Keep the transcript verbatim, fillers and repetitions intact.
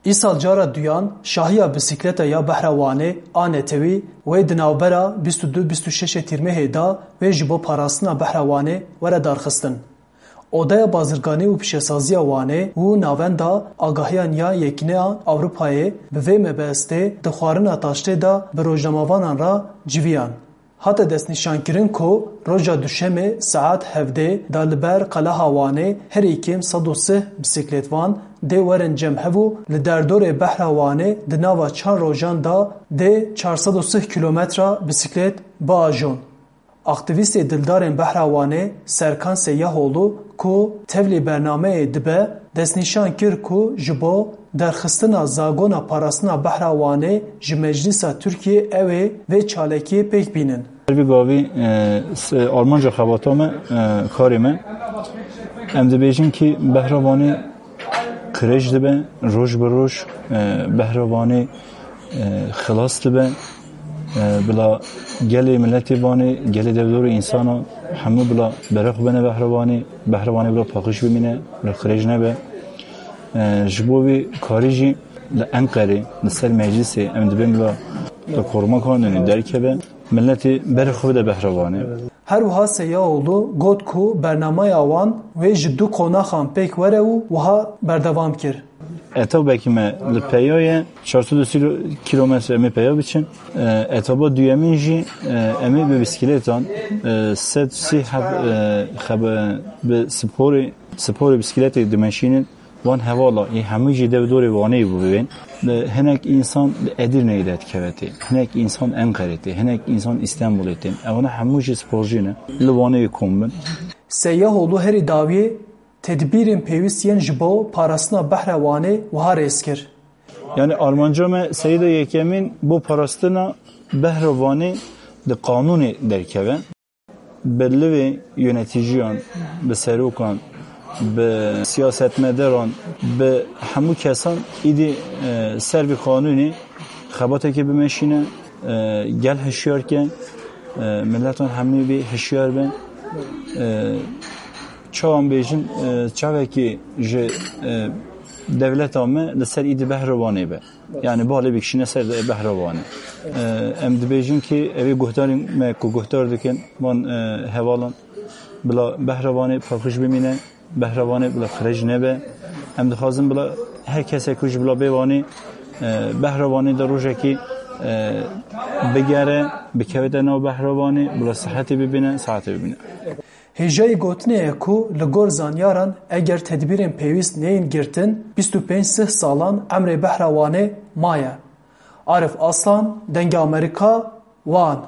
Îsal cara duyan şahiya bisikleta ya Behra Wanê a netewî wê di navbera bîst û du bîst û şeş Tîrmehê de wê ji bo parastina Behra Wanê were darxistin. Odeya Bazirganî û Pîşesaziya Wanê û Navenda Agahiyan ya Yekîneya Ewropayê bi vê mebestê di xwarina taştê de bi rojnamevanan re civiyan. Hate destnîşankirin ku roja Duşemê saet hevdê de li ber Qeleha Wanê herî kêm sed û sih bisiklêtvan dê werin cem hev û li derdorê Behra Wanê di nava çar rojan de dê çar sed û sih kîlometra bisiklêt biajon. Aktîvîstê dildarên Behra Wanê Serkan Seyyahoglu ku tevlî bernameyê dibe, destnîşan kir ku ji bo derxistina zagona parastina Behra Wanê ji Meclîsa Tirkiyê ew ê vê çalakiyê pêk bînin. Her vî gavî, e, s-, armanca xebata me, e, karê me. Em dibêjin kî Behra Wanê qirêj dibe, roj bi roj, e, Behra Wanê, e, xilas dibe. E, bila gelê miletê Wanê, gelê devdorê însana hemû bila berê xwe bene Behra Wanê, Behra Wanê bila paqij bimîne, bila qirêj nebe. E, ji bo vî karî jî li Enqerê, li ser meclisê em dibên bila, bila koruma kanûnê derkeve, miletê berê xwe bide Behra Wanê. Her wiha Seyaoglu got ku bernameya wan wê ji du qonaxan pêk were û wiha berdewam kir. Etobekî me li peya ye, çar sed û sî kîlometre em ê peya biçin. E, etoba duyemîn jî, e, em ê bi bisiklêtan, e, sed sî heb, e, xebe-, bi sporê, sporê bisiklêtê dimeşînin. Van hevala, ê hemû jî dev dorê Wanê bû bibên. Li hinek însan li Edirneyê de dikeve tê. Hinek însan Enqerê tê. Hinek însan Îstanbulê tên. Ewana hemû jî sporcî ne. Li Wanê kom bin. Seyyahoglu herî dawiyê tedbîrên pêwîst yên ji bo parastina Behra Wanê wiha rêz kir. Yani armanca me seyda yekemîn bo parastina Behra Wanê di qanûnê derkeve. Bi livê yöneticiyan, bi serokan, bi siyasetmedaran, bi hemû kesan îdî, e, ser vî qanûnê xebatekê bimeşîne, e, gel hişyar ke, e, miletan hemî bî hişyar bin. E, çawan bêjin, e, çavekî ji, e, dewleta me li ser îdî Behra Wanê be. Yani balê bikişîne ser Behra Wanê. E, em dibêjin ki evê guhdarên me ku guhdar dikin van, e, hevalan bila Behra Wanê paqij bimîne, Behra Wanê bila qirêj nebe. Em dixwazin bila her kesek ku ji bila bê Wanê, e, Behra Wanê de rojekî, e, bigere, bikevite nav Behra Wanê, bila sihetê bibîne, saetê bibîne. Hêjayî gotinê ye ku li gor zanyaran eger tedbîrên pêwîst neyên girtin, bîst û pênc sih salan emrê Behra Wanê maye. Arif Aslan, Dengê Amerîka, Wan.